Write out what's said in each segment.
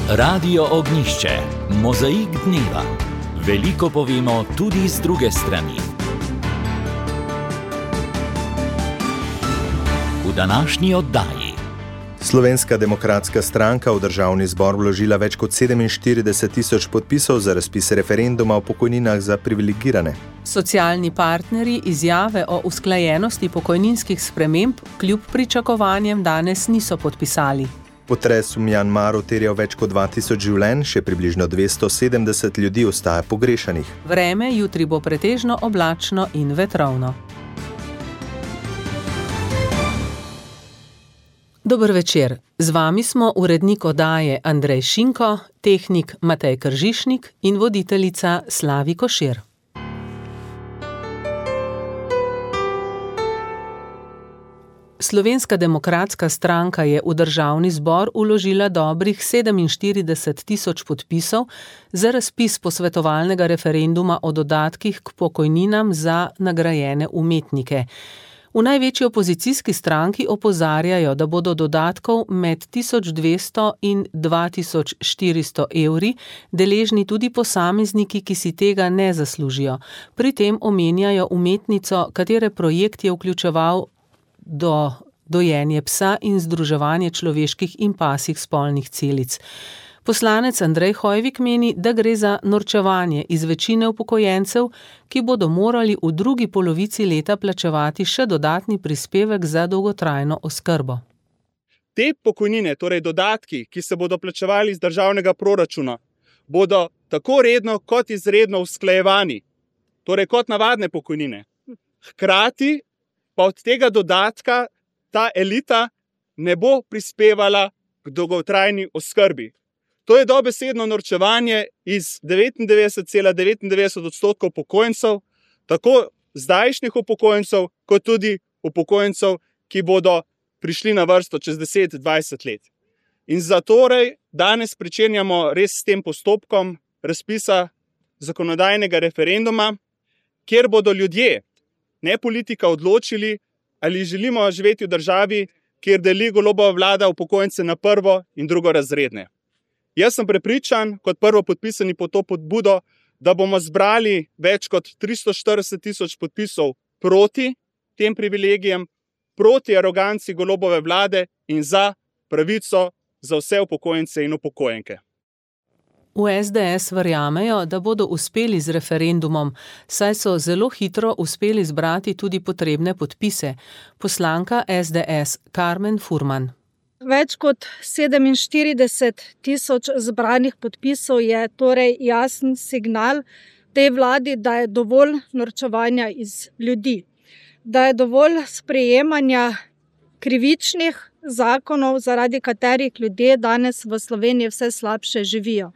Radio Ognjišče, mozaik dneva. Veliko povemo tudi z druge strani. V današnji oddaji. Slovenska demokratska stranka v državni zbor vložila več kot 47.000 podpisov za razpis referenduma o pokojninah za privilegirane. Socialni partnerji izjave o usklajenosti pokojninskih sprememb kljub pričakovanjem danes niso podpisali. Potres v Mjanmaru terjal več kot 2000 življenj, še približno 270 ljudi ostaja pogrešanih. Vreme jutri bo pretežno oblačno in vetrovno. Dober večer. Z vami smo urednik oddaje Andrej Šinko, tehnik Matej Kržišnik in voditeljica Slavi Košir. Slovenska demokratska stranka je v državni zbor vložila dobrih 47.000 podpisov za razpis posvetovalnega referenduma o dodatkih k pokojninam za nagrajene umetnike. V največji opozicijski stranki opozarjajo, da bodo dodatkov med 1200 in 2400 evri deležni tudi posamezniki, ki si tega ne zaslužijo. Pri tem omenjajo umetnico, katere projekt je vključeval dojenje psa in združevanje človeških in pasjih spolnih celic. Poslanec Andrej Hoivik meni, da gre za norčevanje iz večine upokojencev, ki bodo morali v drugi polovici leta plačevati še dodatni prispevek za dolgotrajno oskrbo. Te pokojnine, torej dodatki, ki se bodo plačevali iz državnega proračuna, bodo tako redno kot izredno usklajevani, torej kot navadne pokojnine. Hkrati pa od tega dodatka ta elita ne bo prispevala k dolgotrajni oskrbi. To je dobesedno norčevanje iz 99,99% upokojencev, tako zdajšnjih upokojencev, kot tudi upokojencev, ki bodo prišli na vrsto čez 10-20 let. In zatorej danes pričenjamo res s tem postopkom razpisa zakonodajnega referenduma, kjer bodo ljudje, ne politika, odločili, ali želimo živeti v državi, kjer deli Golobova vlada upokojence na prvo in drugorazredne. Jaz sem prepričan, kot prvopodpisani pod to pobudo, da bomo zbrali več kot 340.000 podpisov proti tem privilegijem, proti aroganci Golobove vlade in za pravico za vse upokojence in upokojenke. V SDS verjamejo, da bodo uspeli z referendumom, saj so zelo hitro uspeli zbrati tudi potrebne podpise. Poslanka SDS Karmen Furman. Več kot 47.000 zbranih podpisov je torej jasen signal tej vladi, da je dovolj norčevanja iz ljudi, da je dovolj sprejemanja krivičnih zakonov, zaradi katerih ljudje danes v Sloveniji vse slabše živijo.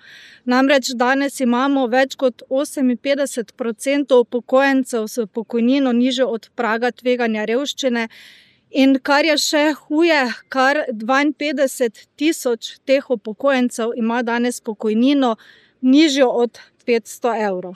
Namreč danes imamo več kot 58% upokojencev s pokojnino nižjo od praga tveganja revščine in kar je še huje, kar 52.000 teh upokojencev ima danes pokojnino nižjo od 500 evrov.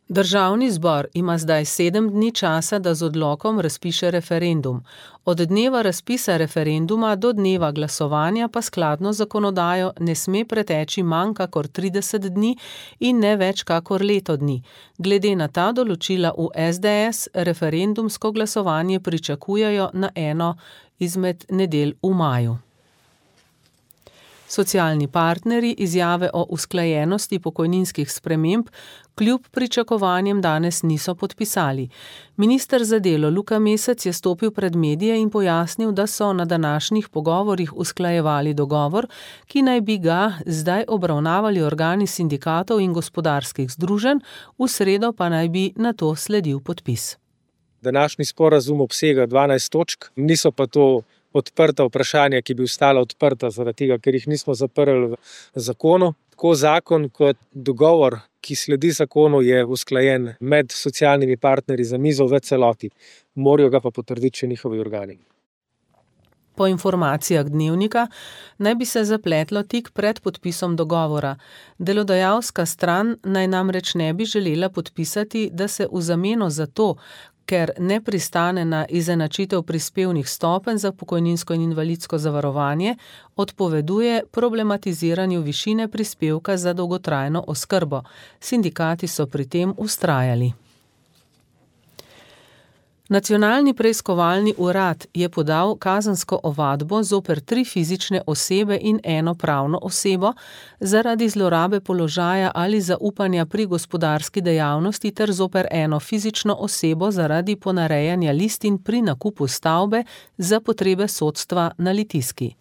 Državni zbor ima zdaj 7 dni časa, da z odlokom razpiše referendum. Od dneva razpisa referenduma do dneva glasovanja pa skladno zakonodajo ne sme preteči manj kakor 30 dni in ne več kakor leto dni. Glede na ta določila v SDS referendumsko glasovanje pričakujejo na eno izmed nedelj v maju. Socialni partnerji izjave o usklajenosti pokojninskih sprememb kljub pričakovanjem danes niso podpisali. Minister za delo Luka Mesec je stopil pred medije in pojasnil, da so na današnjih pogovorih usklajevali dogovor, ki naj bi ga zdaj obravnavali organi sindikatov in gospodarskih združenj, v sredo pa naj bi na to sledil podpis. Današnji sporazum obsega 12 točk, niso pa to odprta vprašanja, ki bi ostala odprta zaradi tega, ker jih nismo zaprli v zakonu. Tako zakon kot dogovor, ki sledi zakonu, je usklajen med socialnimi partnerji za mizo v celoti. Morajo ga pa potrditi še njihovi organi. Po informacijah Dnevnika naj bi se zapletlo tik pred podpisom dogovora. Delodajalska stran naj namreč ne bi želela podpisati, da se v zameno za to, ker ne pristane na izenačitev prispevnih stopenj za pokojninsko in invalidsko zavarovanje, odpoveduje problematiziranju višine prispevka za dolgotrajno oskrbo. Sindikati so pri tem vztrajali. Nacionalni preiskovalni urad je podal kazensko ovadbo zoper 3 fizične osebe in 1 pravno osebo zaradi zlorabe položaja ali zaupanja pri gospodarski dejavnosti ter zoper 1 fizično osebo zaradi ponarejanja listin pri nakupu stavbe za potrebe sodstva na Litijski.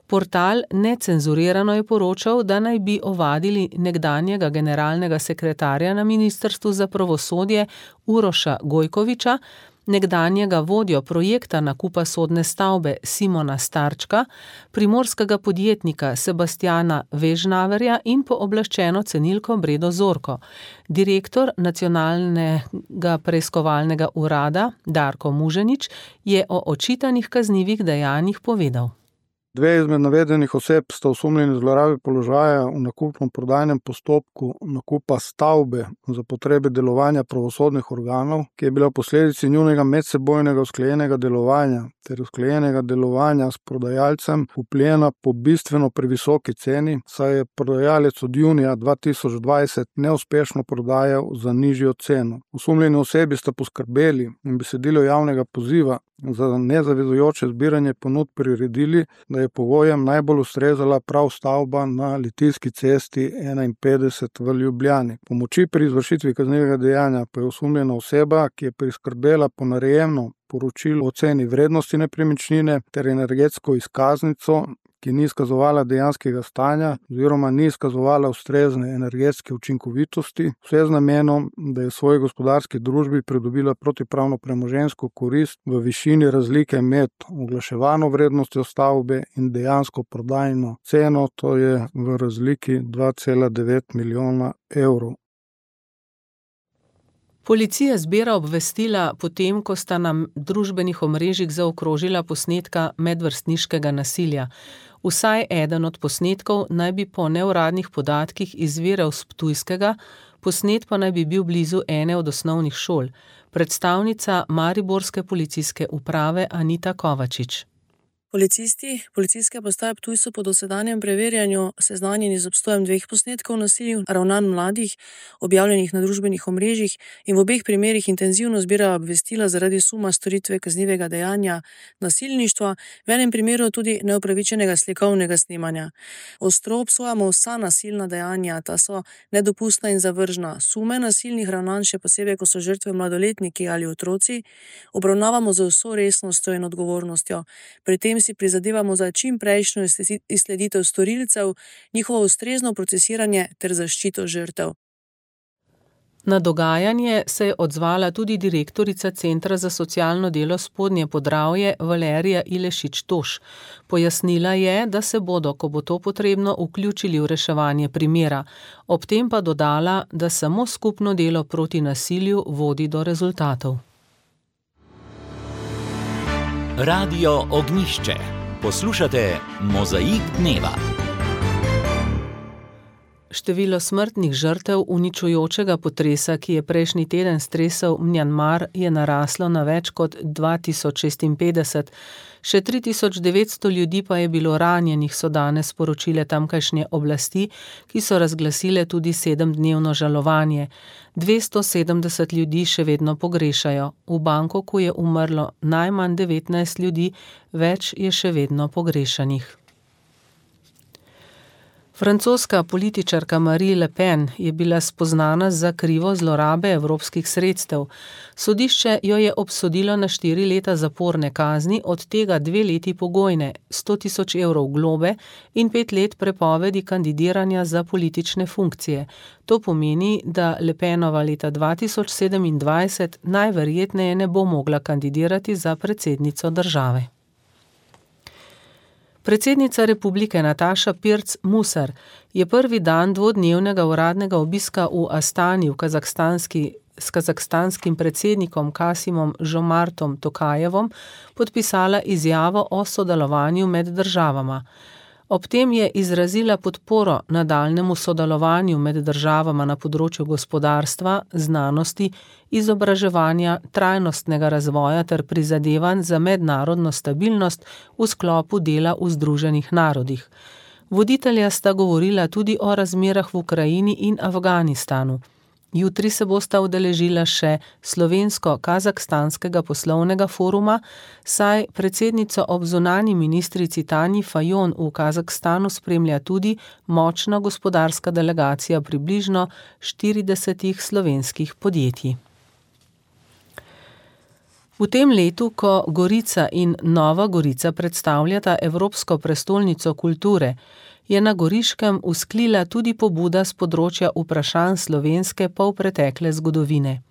Portal Necenzurirano je poročal, da naj bi ovadili nekdanjega generalnega sekretarja na Ministrstvu za pravosodje Uroša Gojkoviča, nekdanjega vodjo projekta nakupa sodne stavbe Simona Starčka, primorskega podjetnika Sebastiana Vežnaverja in pooblaščeno cenilko Bredo Zorko. Direktor Nacionalnega preiskovalnega urada Darko Muženič je o očitanih kaznivih dejanjih povedal. 2 izmed navedenih oseb sta osumljeni zlorabe položaja v nakupno-prodajnem postopku nakupa stavbe za potrebe delovanja pravosodnih organov, ki je bila v posledici njunega medsebojnega usklajenega delovanja ter usklajenega delovanja s prodajalcem vpljena po bistveno previsoki ceni, saj je prodajalec od junija 2020 neuspešno prodajal za nižjo ceno. Osumljeni osebi sta poskrbeli in besedilo javnega poziva za nezavezujoče zbiranje ponudb priredili, da je pogojem najbolj ustrezala prav stavba na Litijski cesti 51 v Ljubljani. Pomoči pri izvršitvi kaznivega dejanja pa je osumljena oseba, ki je priskrbela ponarejeno poročilo o ceni vrednosti nepremičnine ter energetsko izkaznico, ki ni izkazovala dejanskega stanja oziroma ni izkazovala ustrezne energetske učinkovitosti, vse z namenom, da je v svoji gospodarski družbi pridobila protipravno premoženjsko korist v višini razlike med oglaševano vrednostjo stavbe in dejansko prodajno ceno, to je v razliki 2,9 milijona evrov. Policija zbira obvestila potem, ko sta na družbenih omrežjih zaokrožila posnetka medvrstniškega nasilja. Vsaj eden od posnetkov naj bi po neuradnih podatkih izviral s Ptujskega, posnet pa naj bi bil blizu ene od osnovnih šol. Predstavnica mariborske policijske uprave Anita Kovačič. Policisti policijske postaje Ptuj so po dosedanjem preverjanju seznanjeni z obstojem 2 posnetkov nasilij ravnanj mladih, objavljenih na družbenih omrežjih, in v obeh primerih intenzivno zbirajo obvestila zaradi suma storitve kaznivega dejanja nasilništva, v enem primeru tudi neupravičenega slikovnega snemanja. Ostro obsojamo vsa nasilna dejanja, ta so nedopustna in zavržna. Sume nasilnih ravnanj, še posebej, ko so žrtve mladoletniki ali otroci, obravnavamo z vso resnostjo in odgovornostjo. Pri tem si prizadevamo za čim prejšnjo izsleditev storilcev, njihovo ustrezno procesiranje ter zaščito žrtev. Na dogajanje se je odzvala tudi direktorica Centra za socialno delo Spodnje Podravje Valerija Ilešič-Toš. Pojasnila je, da se bodo, ko bo to potrebno, vključili v reševanje primera. Ob tem pa dodala, da samo skupno delo proti nasilju vodi do rezultatov. Radio Ognjišče. Poslušate Mozaik dneva. Število smrtnih žrtev uničujočega potresa, ki je prejšnji teden stresel Mjanmar, je naraslo na več kot 2056. Še 3900 ljudi pa je bilo ranjenih, so danes sporočile tamkajšnje oblasti, ki so razglasile tudi 7-dnevno žalovanje. 270 ljudi še vedno pogrešajo. V Bangkoku je umrlo najmanj 19 ljudi, več je še vedno pogrešanih. Francoska političarka Marine Le Pen je bila spoznana za krivo zlorabe evropskih sredstev. Sodišče jo je obsodilo na 4 leta zaporne kazni, od tega 2 leti pogojne, 100 000 evrov globe in 5 let prepovedi kandidiranja za politične funkcije. To pomeni, da Le Penova leta 2027 najverjetneje ne bo mogla kandidirati za predsednico države. Predsednica republike Nataša Pirc Musar je prvi dan 2-dnevnega uradnega obiska v Astani s kazahstanskim predsednikom Kasimom Žomartom Tokajevom podpisala izjavo o sodelovanju med državama. Ob tem je izrazila podporo nadaljnemu sodelovanju med državama na področju gospodarstva, znanosti, izobraževanja, trajnostnega razvoja ter prizadevanj za mednarodno stabilnost v sklopu dela v Združenih narodih. Voditelja sta govorila tudi o razmerah v Ukrajini in Afganistanu. Jutri se bosta udeležila še slovensko-kazahstanskega poslovnega foruma, saj predsednico ob zunanji ministrici Tanji Fajon v Kazahstanu spremlja tudi močna gospodarska delegacija približno 40 slovenskih podjetij. V tem letu, ko Gorica in Nova Gorica predstavljata Evropsko prestolnico kulture, je na Goriškem vzklila tudi pobuda s področja vprašanj slovenske polpretekle zgodovine.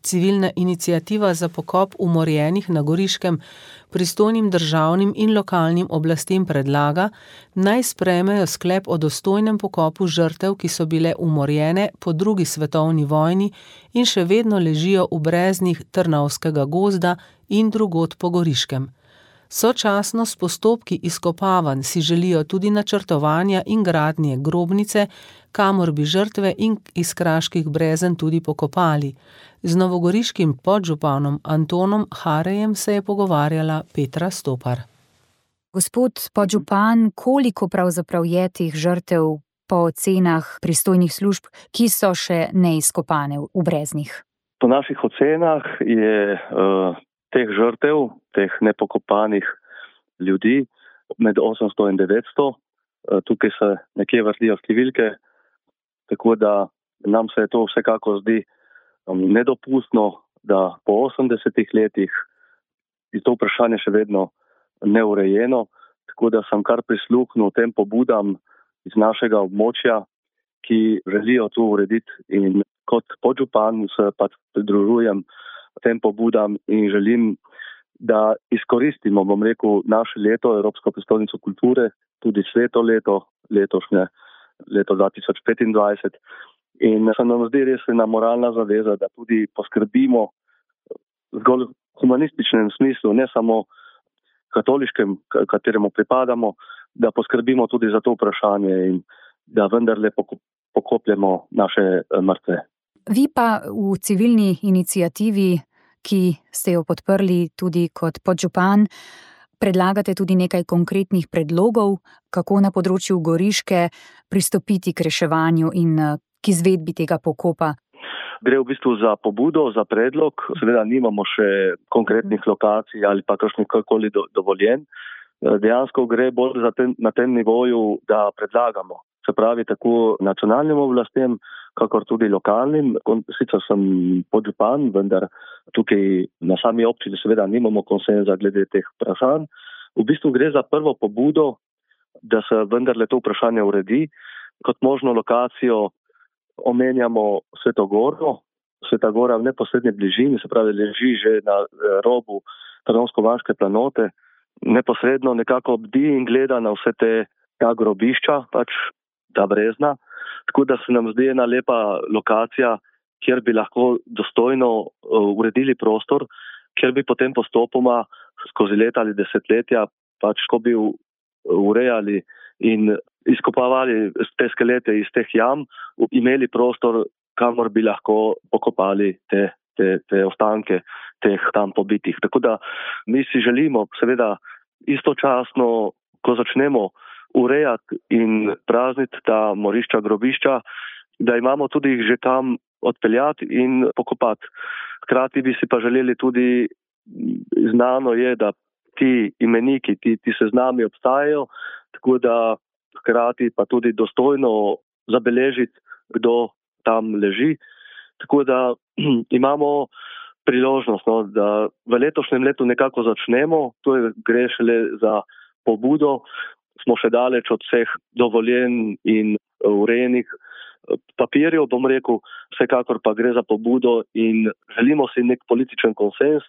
Civilna iniciativa za pokop umorjenih na Goriškem pristojnim državnim in lokalnim oblastem predlaga, naj sprejmejo sklep o dostojnem pokopu žrtev, ki so bile umorjene po 2. svetovni vojni in še vedno ležijo v breznih Trnovskega gozda in drugod po Goriškem. Sočasno s postopki izkopavanj si želijo tudi načrtovanja in gradnje grobnice, kamor bi žrtve in iz Kraških Brezen tudi pokopali. Z novogoriškim podžupanom Antonom Harejem se je pogovarjala Petra Stopar. Gospod podžupan, koliko pravzaprav je teh žrtev po ocenah pristojnih služb, ki so še neizkopane v Breznih? Po naših ocenah je teh žrtev, teh nepokopanih ljudi med 800 in 900. Tukaj se nekje vrtijo številke, tako da nam se to vsekako zdi nedopustno, da po 80 letih je to vprašanje še vedno neurejeno, tako da sem kar prisluhnil tem pobudam iz našega območja, ki želijo to urediti, in kot podžupan se pač pridružujem tem pobudam in želim, da izkoristimo, naše leto, Evropsko prestolnico kulture, tudi sveto leto, letošnje leto 2025. In se nam zdi res ena moralna zaveza, da tudi poskrbimo zgolj v humanističnem smislu, ne samo katoliškem, kateremu pripadamo, da poskrbimo tudi za to vprašanje in da vendarle pokopljemo naše mrtve. Vi pa v civilni iniciativi, ki ste jo podprli tudi kot podžupan, predlagate tudi nekaj konkretnih predlogov, kako na področju Goriške pristopiti k reševanju in k izvedbi tega pokopa. Gre v bistvu za pobudo, za predlog. Seveda nimamo še konkretnih lokacij ali pa kakšnikoli dovoljen. Dejansko gre bolj na tem nivoju, da predlagamo. Se pravi, tako nacionalnim oblastem, kakor tudi lokalnim. Sicer sem podžupan, vendar tukaj na sami občini seveda nimamo konsenza glede teh vprašanj. V bistvu gre za prvo pobudo, da se vendarle to vprašanje uredi. Kot možno lokacijo omenjamo Sveto Goro. Sveta Gora v neposrednji bližini, se pravi, leži že na robu Trnovsko-Vanške planote. Neposredno nekako bdi in gleda na vse ta grobišča, pač ta brezna. Tako da se nam zdi ena lepa lokacija, kjer bi lahko dostojno uredili prostor, kjer bi potem postopoma skozi leta ali desetletja pač ko bi urejali in izkopavali te skelete iz teh jam, imeli prostor, kamor bi lahko pokopali te ostanke teh tam pobitih. Tako da mi si želimo seveda istočasno, ko začnemo urejati in prazniti ta morišča, grobišča, da imamo tudi jih že kam odpeljati in pokopati. Hkrati bi si pa želeli tudi, znano je, da ti imeniki, ti seznami obstajajo, tako da hkrati pa tudi dostojno zabeležiti, kdo tam leži. Tako da imamo priložnost, da v letošnjem letu nekako začnemo, gre šele za pobudo, smo še daleč od vseh dovoljen in urejenih papirjev, vsekakor pa gre za pobudo in želimo si nek političen konsens,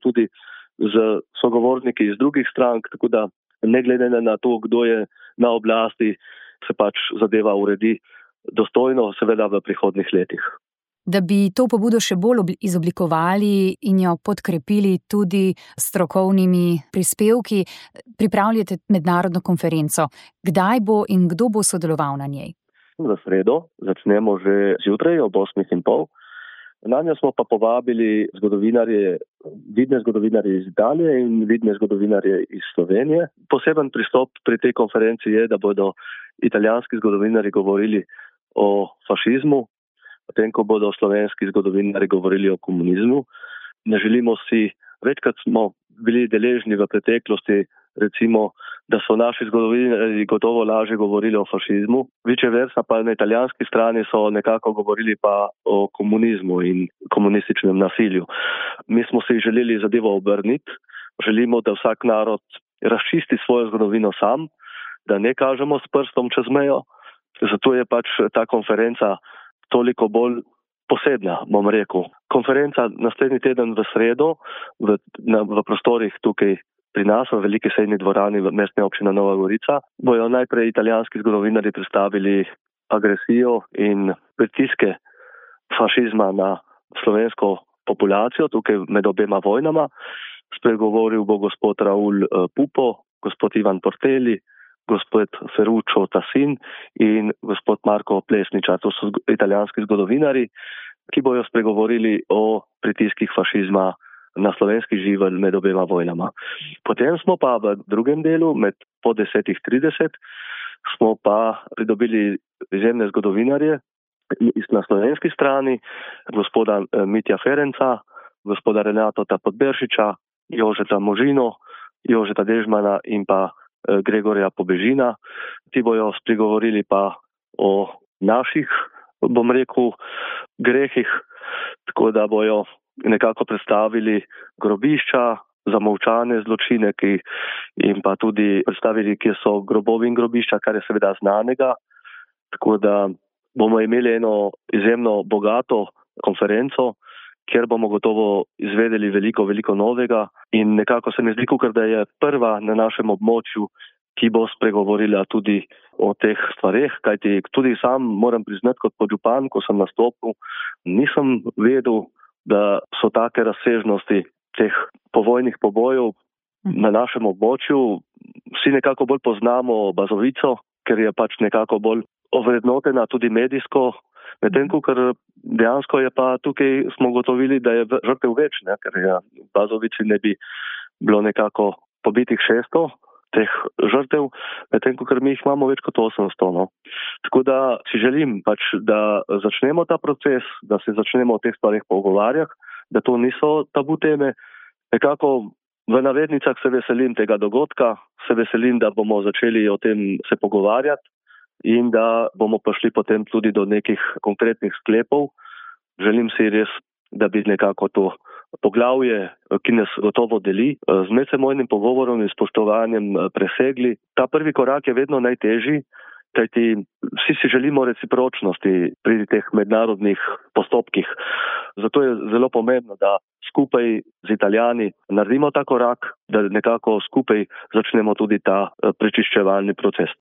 tudi z sogovorniki iz drugih strank, tako da ne glede na to, kdo je na oblasti, se pač zadeva uredi dostojno, seveda v prihodnjih letih. Da bi to pobudo še bolj izoblikovali in jo podkrepili tudi strokovnimi prispevki, pripravljate mednarodno konferenco. Kdaj bo in kdo bo sodeloval na njej? V sredo začnemo že zjutraj ob 8:30. Na njo smo pa povabili vidne zgodovinarje iz Italije in vidne zgodovinarje iz Slovenije. Poseben pristop pri tej konferenci je, da bodo italijanski zgodovinarji govorili o fašizmu, potem ko bodo slovenski zgodovinarji govorili o komunizmu. Ne želimo si, večkrat smo bili deležni v preteklosti, recimo, da so naši zgodovinarji gotovo lažje govorili o fašizmu, vice versa pa na italijanski strani so nekako govorili pa o komunizmu in komunističnem nasilju. Mi smo si želeli zadevo obrniti, želimo, da vsak narod razčisti svojo zgodovino sam, da ne kažemo s prstom čez mejo, zato je pač ta konferenca toliko bolj posebna, bom rekel. Konferenca naslednji teden v sredo v prostorih tukaj pri nas v veliki sejni dvorani v mestne občine Nova Gorica bojo najprej italijanski zgodovinarji predstavili agresijo in pritiske fašizma na slovensko populacijo tukaj med obema vojnama. Spregovoril bo gospod Raul Pupo, gospod Ivan Porteli, gospod Ferruccio Tassin in gospod Marko Plesničar. To so italijanski zgodovinari, ki bojo spregovorili o pritiskih fašizma na slovenski živelj med obema vojnama. Potem smo pa v drugem delu, po 10:30, smo pa pridobili izjemne zgodovinarje na slovenski strani, gospoda Mitja Ferenca, gospoda Renata Podberšiča, Jožeta Možino, Jožeta Dežmana in pa Gregorja Pobežina. Ti bojo spregovorili pa o naših, bom rekel, grehih, tako da bojo nekako predstavili grobišča, zamolčane zločine in pa tudi predstavili, kje so grobovi in grobišča, kar je seveda znanega. Tako da bomo imeli eno izjemno bogato konferenco, kjer bomo gotovo izvedeli veliko novega in nekako se mi zdi, ker da je prva na našem območju, ki bo spregovorila tudi o teh stvareh, kajti tudi sam moram priznati kot podžupan, ko sem nastopil, nisem vedel, da so take razsežnosti teh povojnih pobojev na našem območju. Vsi nekako bolj poznamo Bazovico, ker je pač nekako bolj ovrednotena tudi medijsko, medtem ko ker dejansko je pa tukaj smo gotovili, da je žrtev več, ker je v Bazovici ne bi bilo nekako pobitih 600 teh žrtev, medtem ko ker mi jih imamo več kot 800. Tako da si želim pač, da začnemo ta proces, da se začnemo o teh stvarih pogovarjati, da to niso tabu teme. Nekako v navednicah se veselim tega dogodka, se veselim, da bomo začeli o tem se pogovarjati in da bomo prišli potem tudi do nekih konkretnih sklepov. Želim si res, da bi nekako to poglavje, ki nas gotovo deli, z medsebojnim pogovorom in spoštovanjem presegli. Ta prvi korak je vedno najtežji, kajti vsi si želimo recipročnosti pri teh mednarodnih postopkih. Zato je zelo pomembno, da skupaj z Italijani naredimo ta korak, da nekako skupaj začnemo tudi ta prečiščevalni proces.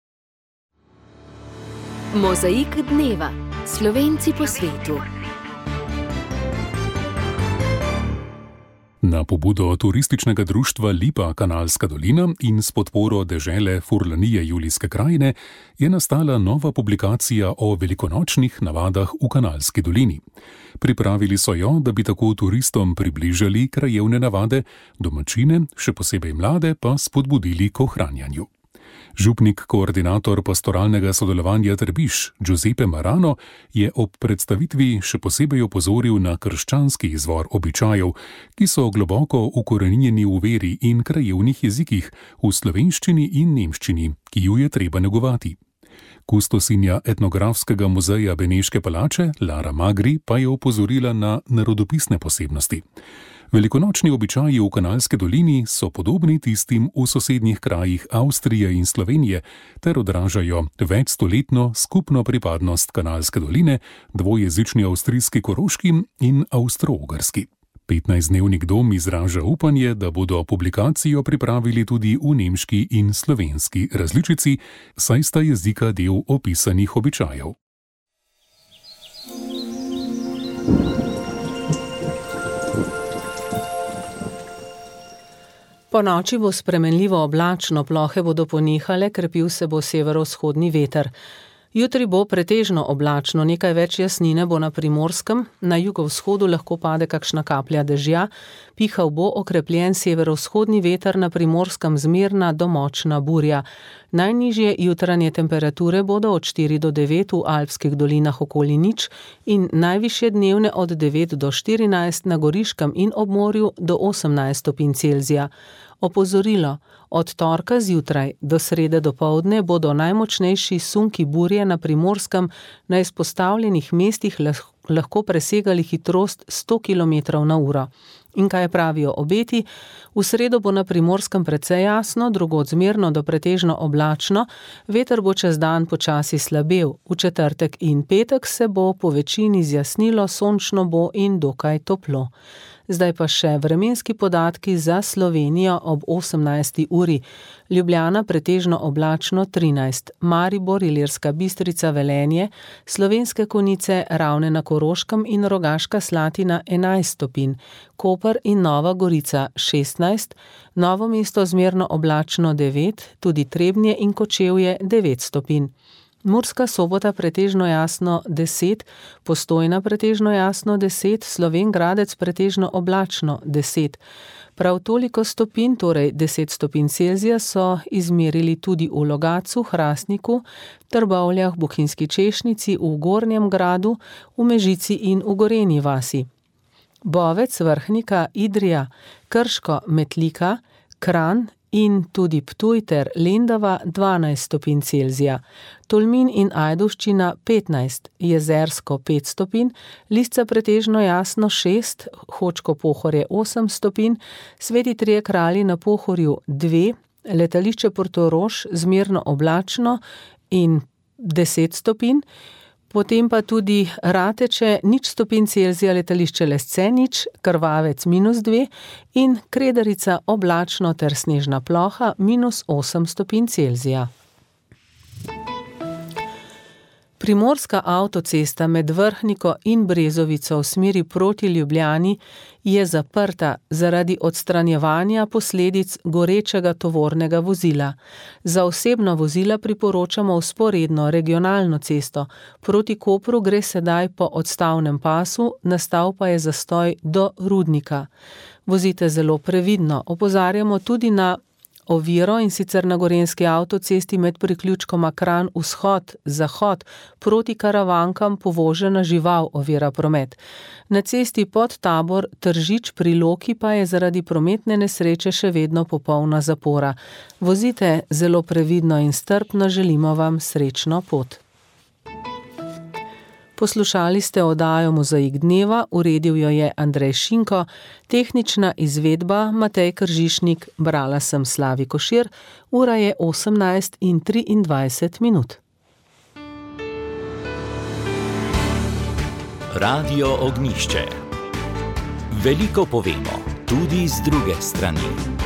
Mozaik dneva. Slovenci po svetu. Na pobudo turističnega društva Lipa Kanalska dolina in s podporo dežele Furlanije Julijske krajine je nastala nova publikacija o velikonočnih navadah v Kanalski dolini. Pripravili so jo, da bi tako turistom približali krajevne navade, domačine, še posebej mlade, pa spodbudili k ohranjanju. Župnik, koordinator pastoralnega sodelovanja Trbiž, Giuseppe Marano, je ob predstavitvi še posebej opozoril na krščanski izvor običajev, ki so globoko ukoreninjeni v veri in krajevnih jezikih, v slovenščini in nemščini, ki ju je treba negovati. Kustosinja etnografskega muzeja Beneške palače, Lara Magri, pa je opozorila na narodopisne posebnosti. Velikonočni običaji v Kanalski dolini so podobni tistim v sosednjih krajih Avstrije in Slovenije ter odražajo večstoletno skupno pripadnost Kanalske doline, dvojezični avstrijski Koroški in avstro-ogrski. 15-dnevnik dom izraža upanje, da bodo publikacijo pripravili tudi v nemški in slovenski različici, saj sta jezika del opisanih običajev. Po noči bo spremenljivo oblačno, plohe bodo ponehale, krepil se bo severovzhodni veter. Jutri bo pretežno oblačno, nekaj več jasnine bo na Primorskem, na jugovzhodu lahko pade kakšna kaplja dežja, pihal bo okrepljen severovzhodni veter, na Primorskem zmerna do močna burja. Najnižje jutranje temperature bodo od 4 do 9 v alpskih dolinah okoli nič in najvišje dnevne od 9 do 14 na Goriškem in ob morju do 18 stopinj Celzija. Opozorilo, od torka zjutraj do srede dopoldne bodo najmočnejši sunki burje na Primorskem na izpostavljenih mestih lahko presegali hitrost 100 km/h. In kaj pravijo obeti? V sredo bo na Primorskem precej jasno, drugod zmerno do pretežno oblačno, veter bo čez dan počasi slabel. V četrtek in petek se bo po večini zjasnilo, sončno bo in dokaj toplo. Zdaj pa še vremenski podatki za Slovenijo ob 18. uri. Ljubljana pretežno oblačno 13, Maribor, Ilirska Bistrica, Velenje, Slovenske Konjice, Ravne na Koroškem in Rogaška Slatina 11 stopinj, Koper in Nova Gorica 16, Novo mesto zmerno oblačno 9, tudi Trebnje in Kočevje 9 stopinj. Murska Sobota pretežno jasno 10, Postojna pretežno jasno 10, Slovenj Gradec pretežno oblačno 10. Prav toliko stopinj, torej 10 stopinj Celzija, so izmerili tudi v Logatcu, Hrastniku, Trbovljah, Bohinjski Češnici, v Gornjem Gradu, v Mežici in v Gorenji vasi. Bovec, Vrhnika, Idrija, Krško, Metlika, Kranj in tudi Ptuj ter Lendava 12 stopinj Celzija, Tolmin in Ajdovščina 15, Jezersko 5 stopinj, Lisca pretežno jasno 6, Hočko Pohorje 8 stopinj, Sveti Trije Kralji na Pohorju 2, letališče Portorož zmerno oblačno in 10 stopinj, potem pa tudi Rateče 0 stopinj Celzija, letališče Lesce 0, Krvavec -2 in Kredarica oblačno ter snežna ploha -8 stopinj Celzija. Primorska avtocesta med Vrhniko in Brezovico v smeri proti Ljubljani je zaprta zaradi odstranjevanja posledic gorečega tovornega vozila. Za osebna vozila priporočamo vzporedno regionalno cesto. Proti Kopru gre sedaj po odstavnem pasu, nastal pa je zastoj do Rudnika. Vozite zelo previdno, opozarjamo tudi na oviro, in sicer na gorenjski avtocesti med priključkoma Kranj vzhod-zahod proti Karavankam povožena žival ovira promet. Na cesti pod Tabor Tržič pri Loki pa je zaradi prometne nesreče še vedno popolna zapora. Vozite zelo previdno in strpno, želimo vam srečno pot. Poslušali ste oddajo Mozaik dneva, uredil jo je Andrej Šinko, tehnična izvedba Matej Kržišnik, brala sem Slavi Košir, ura je 18:23. Radio Ognjišče. Veliko povemo, tudi z druge strani.